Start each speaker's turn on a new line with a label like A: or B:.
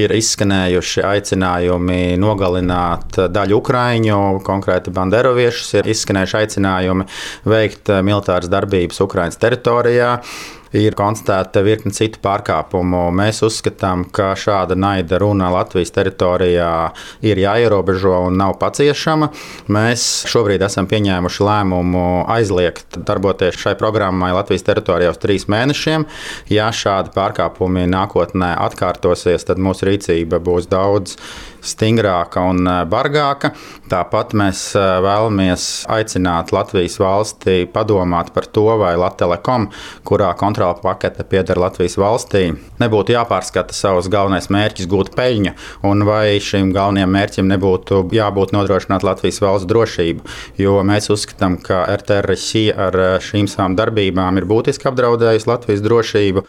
A: Ir izskanējuši aicinājumi nogalināt daļu ukraiņu, konkrēti banderoviešus, ir izskanējuši aicinājumi veikt militāras darbības Ukrainas teritorijā. Ir konstatēta virkne citu pārkāpumu. Mēs uzskatām, ka šāda naida runa Latvijas teritorijā ir jāierobežo un nav paciešama. Mēs šobrīd esam pieņēmuši lēmumu aizliegt darboties šai programmai Latvijas teritorijā uz 3 mēnešiem. Ja šādi pārkāpumi nākotnē atkārtosies, tad mūsu rīcība būs daudz stingrāka un bargāka. Tāpat mēs vēlamies aicināt Latvijas valsti padomāt par to, vai Latelekom, kurā kontrola pakete pieder Latvijas valstī, nebūtu jāpārskata savus galvenais mērķis gūt peļņu, un vai šim galvenajam mērķim nebūtu jābūt nodrošināt Latvijas valsts drošību. Jo mēs uzskatām, ka RTRSI ar šīm savām darbībām ir būtiski apdraudējusi Latvijas drošību.